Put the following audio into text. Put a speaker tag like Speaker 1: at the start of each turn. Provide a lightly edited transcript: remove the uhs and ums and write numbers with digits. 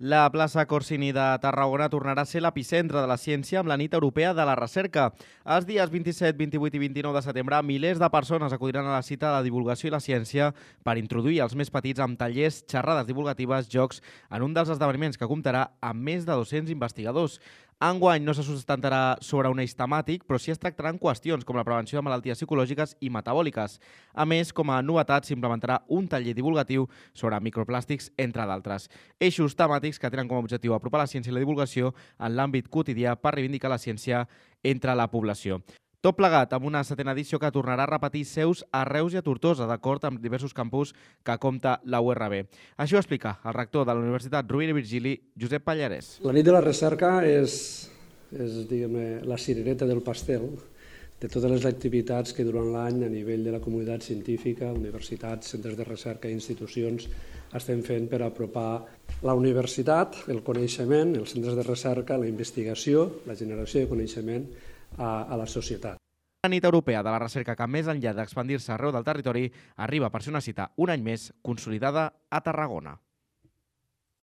Speaker 1: La plaça Corsini de Tarragona tornarà a ser l'epicentre de la ciència amb la nit europea de la recerca. Els dies 27, 28 i 29 de setembre, milers de persones acudiran a la cita de la divulgació i la ciència per introduir els més petits amb tallers, xerrades divulgatives, jocs, en un dels esdeveniments que comptarà amb més de 200 investigadors. Enguany no se sustentarà sobre un eix temàtic, però sí es tractaran qüestions com la prevenció de malalties psicològiques i metabòliques. A més, com a novetat, s'implementarà un taller divulgatiu sobre microplàstics, entre d'altres. Eixos temàtics que tenen com a objectiu apropar la ciència i la divulgació en l'àmbit quotidià per reivindicar la ciència entre la població. Tot plegat amb una setena edició que tornarà a repetir seus a Reus i a Tortosa, d'acord amb diversos campus que compta la URB. Això ho explica el rector de la Universitat Rovira i Virgili, Josep Pallarès.
Speaker 2: La nit de la recerca és la cirereta del pastel de totes les activitats que durant l'any a nivell de la comunitat científica, universitats, centres de recerca i institucions estem fent per apropar la universitat, el coneixement, els centres de recerca, la investigació, la generació de coneixement a la societat.
Speaker 1: La nit europea de la recerca que, més enllà d'expandir-se arreu del territori, arriba per ser una cita un any més consolidada a Tarragona.